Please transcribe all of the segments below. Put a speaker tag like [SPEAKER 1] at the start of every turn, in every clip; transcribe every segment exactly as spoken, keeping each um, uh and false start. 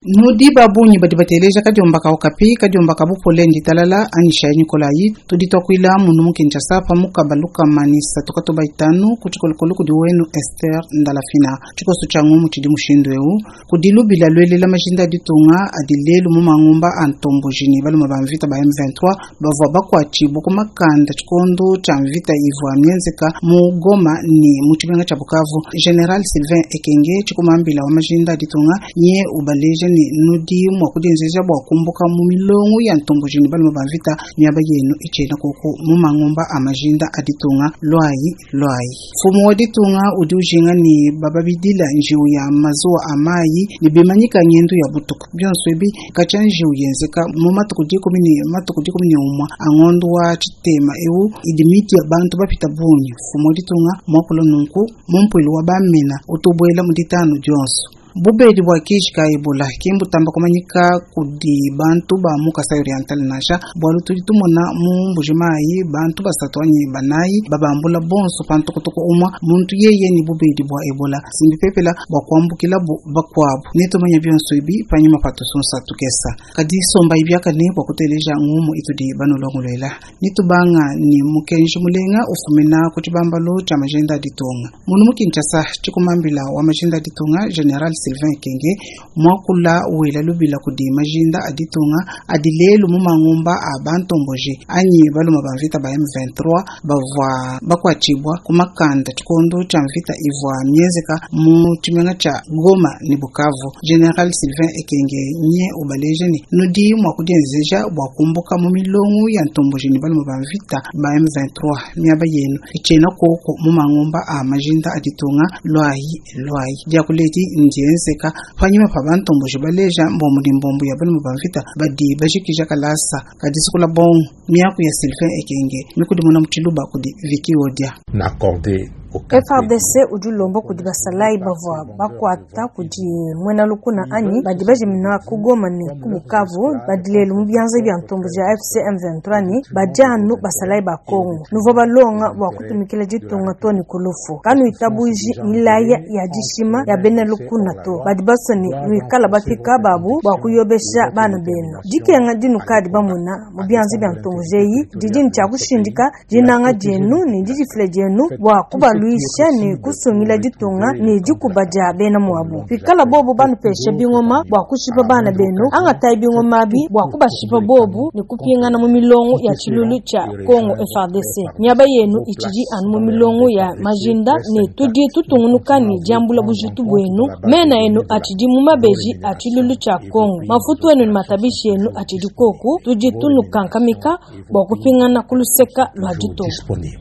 [SPEAKER 1] Nudi ba bungi badi bateleja kadiomba ka Okapi, kadiomba ka bupole nditalala anyishayi Nikolayi. Tudi tuakuila munu mu Kinshasa pa mukaba lukama ne isatu katoba itanu ku tshikolokolo kudi wenu Esther Ndalafina. Tshikoso tshia ngumu tshidi mushindu eu kudi lubila lwelela majinda a ditunga adi lelu mu mangumba a ntomboji ne balume ba mvita ba M vingt-trois bavua bakuatshibua ku makanda tshikondo tshia mvita ivua mienzeka mu Goma ne mu tshimenga tshia Bukavu. General Sylvain Ekenge tshikumambila wa majinda a ditunga nye ubaleja ne nudi mua kudienzeja bua kumbuka mu milongo ya ntomboji ne balume ba mvita miaba yenu itshena koko mu mangumba a majinda a ditunga lwayi lwayi. Mfumu wa ditunga udi ujinga ne bababidila njiwu ya mazuwa a mayi ne bimanyika ngendu ya butuku bionso ebi katshia njiwu yenzeka mu matuku dikumi ne matuku dikumi ne umwe a ngondo wa tshitema eu idi miti ya bantu bapita bungi. Mfumu wa ditunga muakula nunku mu mpuilu wa bamena utubuela mu ditanu dionso. Bubedi bwa kishi ka Ebola ke mbutamba kumanyika kudi bantu ba mu Kasai Oriental nansha bualu tudi tumona mu Mbujimayi bantu basatu anyi banayi babambula bonso pa ntokontoko umwe muntu yeye ni bubedi bwa Ebola simbi pepela bwa kuambukila bu bakuabu netumanya bionso ebi panyima pa tusunsa tukesa kadi somba ibiakane bwa kuteleja ngumu itudi banolongolwela nitubanga ni mukenji mulenga ufumina ku tshibambalo tshia majinda a ditunga munu mu Kinshasa tshikumambila wa majinda a ditunga General Sylvain Ekenge mwakula wela lubila kudi majinda a ditunga adi lelu mu mangumba a bantomboji anyi balume ba mvita ba M vingt-trois bavua bakuatshibua ku makanda tshikondo tshia mvita ivua mienzeka mu tshimenga tshia Goma ne Bukavu. General Sylvain Ekenge nye ubaleja ne nudi mua kudienzeja bua kumbuka mu milongo ya ntomboji ne balume ba mvita ba M vingt-trois miaba yenu itshena koko mu mangumba a majinda a ditunga lwayi lwayi. Diakuledi ndienzeka panyima pa bantomboji baleja mbombo ne mbombo ya balume ba mvita badi bajikija kalasa kadisikula bongo miaku ya Sylvain Ekenge mikudimuna mu tshiluba kudi Vicky Odia.
[SPEAKER 2] N'accordez
[SPEAKER 3] F R D C udi ulomba kudi basalayi bavua bakuata kudi muena lukuna anyi badi bajimina ku Goma ne ku Bukavu badi lelu mu bianza bia ntomboji ya F C M vingt-trois ne badi anu basalayi ba Kongo. Nuvua balonga bua kutumikila ditunga to ne ku lufu. Kanuitabuji milaya ya dishima ya bena lukuna to badi basua ne nuikala bapika babu bua kuyobesha bana benu. Dikenga dinukadi bamona mu bianza bia ntomboji eyi didi ne tshia kushindika dinanga dienu ne didifila dienu bua kubaluisha ne kusungila ditunga ne dikuba dia bena muabu. Pikala bobu banupesha bingoma bua kushipa bana benu, angatai bingoma bi bua kubashipa bobu ne kupingana mu milongo ya tshilulu tshia Congo F R D C. Miaba yenu itshidi anu mu milongo ya majinda ne tudi tutungunuka ne diambula bujitu buenu. Mena enu atshidi mu mabeji a tshilulu tshia Congo. Mafutu enu ne matabishi enu atshidi koku, tudi tunukankamika bua kupingana ku luseka lua ditunga.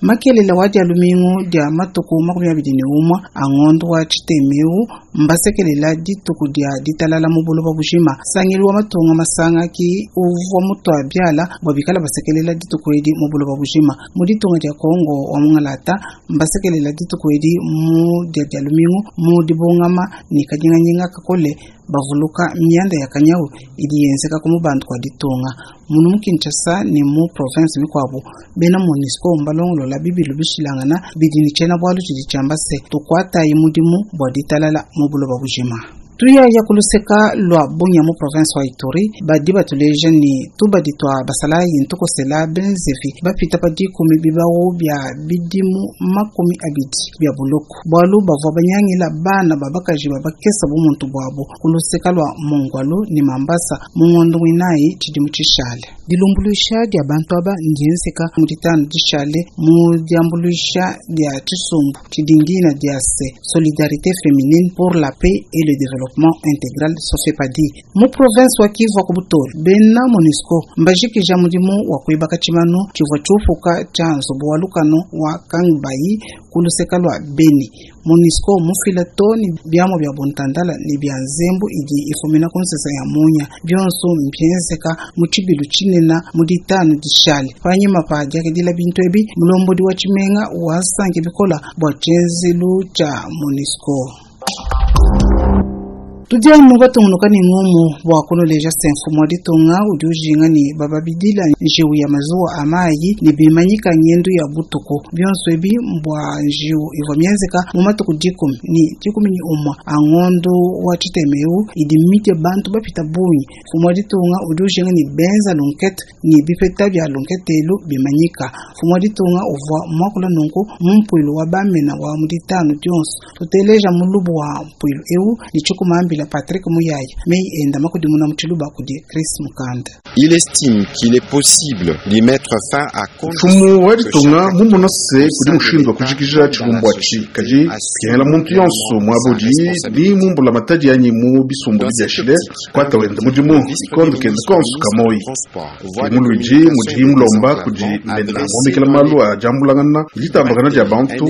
[SPEAKER 1] Makelele wa dia lumingu dia matuku makumi abidi ne umwe a ngondo wa tshitemeu mbasekelela dituku dia ditalala mu buloba bujima. Sangilu wa matunga masanga ki uvua mutu abiala bua bikala basekelela dituku edi mu buloba bujima. Mu ditunga dia Kongo wa Mungalata mbasekelela dituku edi mu dia dia lumingu mu dibungama ne kanyinganyinga kakole bavuluka mianda ya kanyawu idi yenzeka ku mubandu kwa ditunga. Munu mu Kinshasa ne mu province mikuabu bena MONUSCO mbalongolola bibilu bishilangana bidi ne tshiena bualu tshidi tshiamba se tukuatayi mudimu bua ditalala mu buloba bujima. Tuyaya kuluseka lwa Bunia mu province wa Ituri badi batuleja ni tubadi twa basalayi ntukosela benzevi bapita pa dikumi bibawu bia bidimu makumi abidi bia buloko bualu bavua banyangila bana babakaji babakesa bumuntu bwabo kuluseka lwa Mongwalu ni Mambasa mu ngondo mwinayi tshidimu tshishale. Dilumbuluisha dia bantu aba ndienzeka mu ditanu dishale mu diambuluisha dia tshisumbu tshidingina dia se Solidarité féminine pour la paix et le développement intégral Sofepadi. Mu province wa Kivu ku Butoli bena MONUSCO mbajikija mudimu wa kuibaka tshimanu tshivua tshiupuka tshia nzubu wa lukano wa Kangbayi ku luseka lwa Beni. MONUSCO mufila toni biamo bia buntandala ne bia nzembu idi ifumina ku nsesa ya munya bionso mbienzeka mu tshibilu tshinena mu ditanu dishale. Panyima pa diakidila bintu ebi mulombodi wa tshimenga wasanke bikola bua tshienzelu tshia MONUSCO. Tudi anu batungunuka ne ngumu bua kunuleja se mfumu wa ditunga udi ujinga ne bababidila njiwu ya mazuwa a mayi ne bimanyika ngendu ya butuku. Bionso ebi mbua njiwu ivua mienzeka mu matuku dikumi ne dikumi ne umua a ngondo wa tshitemeu idi mitie bantu bapita bungi. Mfumu wa ditunga udi ujinga ne benza lunkete ne bipeta bia lunketelu bimanyika. Mfumu wa ditunga uvua muakula nunku mu mpuilu wa bamena wa mu ditanu dionso. Tuteleja mulubu wa mpuilu eu ne tshikumambila Patrick Muyaya mei enda makudimuna mu tshiluba kudi Chris Mukanda.
[SPEAKER 2] Il estime qu'il est possible d'y mettre fin à
[SPEAKER 4] Mfumu wa ditunga mumona se kudi mushindu wa kujikija tshilumbu atshi kadi kengela muntu yonso muabudi ni mumbula matadi anyi mu bisumbu biashile kwata wenda mudimu ikondo kenda konso kamoyi muluidi mudi mulomba kudi mena muomekela malu a diambulangana ditambakana dia bantu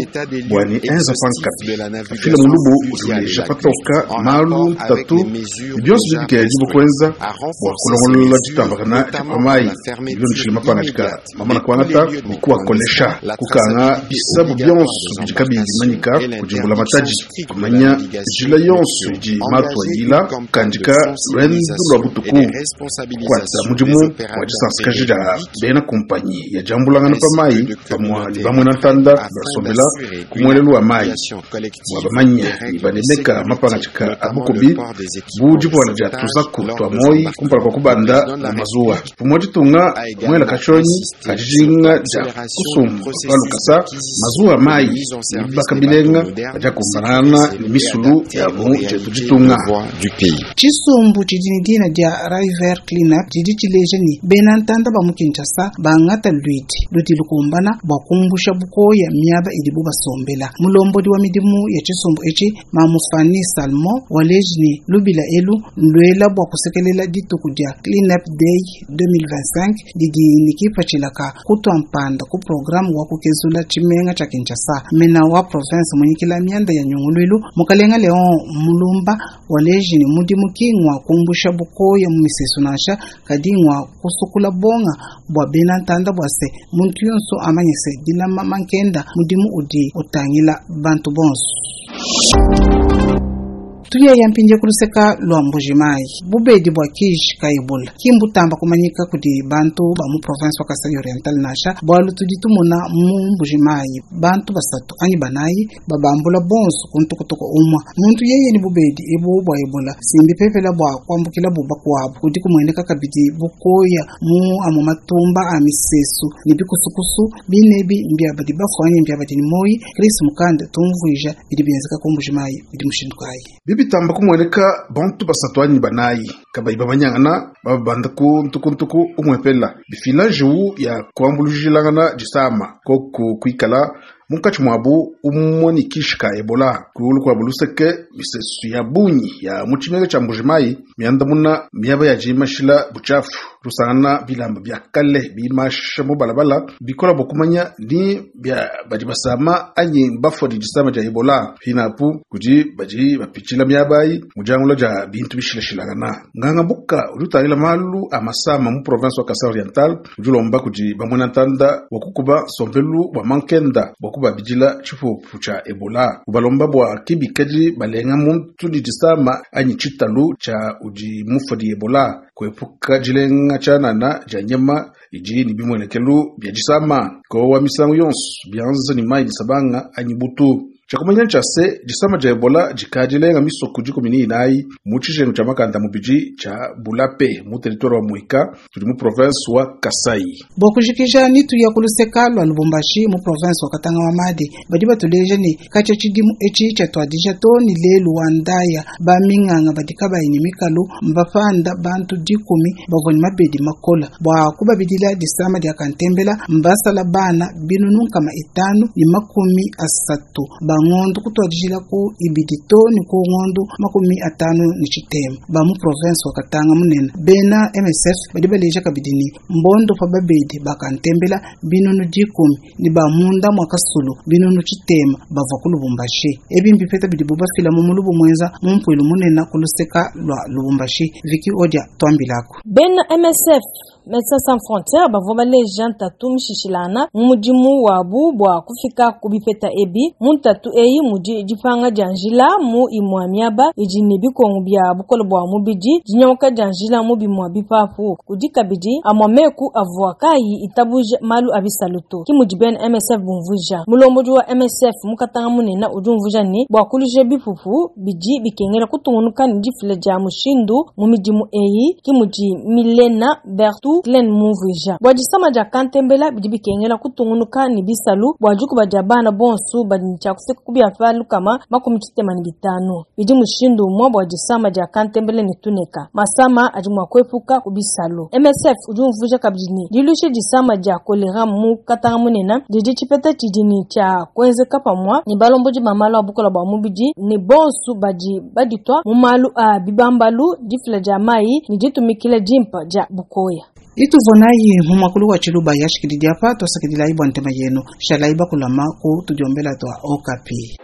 [SPEAKER 4] bwani enza pankapi afila mulubu udi uleja patoka malu tatu bionso bibikela dibukwenza bua kulongolola ditambakana dia pamayi bilondeshile mapangadika mamana kuangata ni kuwakolesha kukanga bisabu bionso bidi kabiyi bimanyika kudimbula matadi kumanya njila yonso idi matu ayila kukandika lwendu lwa butuku kukwata mudimu wa disansikaji dia bena kumpanyi ya diambulangana pa mayi pamua ne bamwena ntanda basombela ku muelelu wa mayi bua bamanya ne banemeka mapangadika a bukubi bu divuala dia tuzaku tua moyi kumpala kua kubanda mu mazuwa pamua ditunga muela kashonyi kadijinga dia kusumba palukasa mazuwa mayi ne bibaka bilenga badiakumbanana ne misulu ya mu dietu ditunga.
[SPEAKER 2] Du pays.
[SPEAKER 1] Tshisumbu tshidi ne dina dia River Cleanup tshidi tshileja ne bena ntanda ba mu Kinshasa bangata luidi ludi lukumbana bua kumbusha bukoya miaba idibu basombela. Mulombodi wa midimu ya tshisumbu etshi Mamu Fanny Salmon waleji ne lubila elu luela bua kusekelela dituku dia Cleanup Day deux mille vingt-cinq didi ne kipatshilaka kutua mpanda ku programme wa kukezula tshimenga tshia Kinshasa. Mena wa province munyikila mianda ya nyunguluilu Mukalenga Leon Mulumba waleji ne mudimu ki ngwa kumbusha bukoya mu misesu nansha kadi ngwa kusukula bonga bua bena ntanda bua se muntu yonso amanye se dilama mankenda mudimu udi utangila bantu bonso. Tuya ya mpinje kuluseka lwa Mbujimayi bubedi bua kishi ka Ebola kimbutamba kumanyika kudi bantu ba mu province wa Kasai Oriental nansha bualu tudi tumona mu Mbujimayi bantu basatu anyi banayi babambula bonso kuntukutuku umwa muntu yeye ni bubedi ebu bua Ebola simbi pepela bua kuambukila buba kuabu kudi kumueneka kabidi bukoya mu amu matumba a misesu ne bikusukusu binebi mbia badi bafuanye mbia badi ni moyi Chris Mukanda tumvuija bidi bienzeka ku Mbujimayi bidi mushindu kayi.
[SPEAKER 4] Bibitamba kumueneka bantu basatu anyi banayi kabayi bamanyangana babanda ku ntukuntuku umwepela bifila njiwu ya kuambulujilangana disama koku kuikala munkatshi muabu umue ne kishi ka Ebola kulu kua buluseke misesu ya bungi ya mu tshimenga tshia Mbujimayi miandamuna miaba ya dimashila butshiafu tusangana bilamba bia kale bimasha mu balabala bikola bua kumanya ni bia badi basama anyi bafua di disama dia Ebola hinapu kudi badi bapitshila miaba ayi mu diangula dia bintu bishilashilangana. Nganga buka udi utangila malu a masama mu province wa Kasai Oriental udi ulomba kudi bamwena ntanda wa kukuba nsombelu wa mankenda bua kubabidila tshipupu tshia Ebola ubalomba bua kibikadi balenga muntu di disama anyi tshitalu tshia udi mufa di Ebola kuepuka dilenga tshianana dia nyama idi ne bimuenekelu bia disama kowa misangu yonso bianza ne mayi disabanga anyi butu. Tshiakumanya ntshia se disama dia Ebola dikadilenga misoko dikumi ne inayi mu tshijengu tshia makanda mubidi tshia Bulape mu territoire wa Mwika tudi mu province wa Kasai.
[SPEAKER 1] Bua kujikija nitu ya kuluseka lwa Lubumbashi mu province wa Katanga wa Madi badi batuleja ne katshia tshidimu etshi tshiatuadija to ne lelu wa ndaya baminganga badi kabayi ne mikalu mbapanda bantu dikumi bavua ne mabedi makola bua kubabidila disama dia kantembela mbasala bana binunu nkama itanu ne makumi asatu ba ngondo kutuadijila ku ibidi to ne ku ngondo makumi atanu ne tshitema ba mu province wa Katanga munene bena M S F badi baleja kabidi ne mbondo pa babedi bakantembela binunu dikumi ne ba munda mwa kasulu binunu tshitema bavua ku Lubumbashi ebi mbipeta bidi bubafila mu mulubu mwenza mu mpuilu munene ku luseka lwa Lubumbashi Viki Odia twambilako.
[SPEAKER 3] Bena M S F Medecins Sans Frontieres bavua baleja ntatu mishishilana mu mudimu wabu bua kufika ku bipeta ebi. Mu ntatu eyi mudi dipanga dia njila mu imua miaba idi ne bikongu bia bukole bua mubidi, dinyanguka dia njila mu bimua bipapu. Kudi kabidi amua meku avua kayi itabuja malu a bisalu to. Ki mudi bena M S F bumvuija. Mulombodi wa M S F mu Katanga munene udi umvuija ne bua kuluisha bipupu bidi bikengela kutungunuka ne difila dia mushindu mu midimu eyi. Ki mudi Milena Bertu Glenn mumvuija. Bua disama dia kantembela bidi bikengela kutungunuka ne bisalu bua dikuba dia bana bonso badi ne tshia kufika ku bia pa lukama makumi tshitema ne bitanu. Bidi mushindu umue bua disama dia kantembela ne tuneka. Masama adi mua kuepuka ku bisalu. M S F udi umvuija kabidi ne diluisha disama dia kolera mu Katanga munene didi tshipeta tshidi ne tshia kuenzeka pamua ne balombodi ba malu a bukola bua mubidi ne bonso badi baditwa mu malu a bibambalu, difila dia mayi ne ditumikila dimpa dia bukoya.
[SPEAKER 1] Ituvonayi mu mwakulu wa Tshiluba yashikili diapa twasakidila ibwa ntema yenu shalayi bakulama ku tudiombela twa Okapi.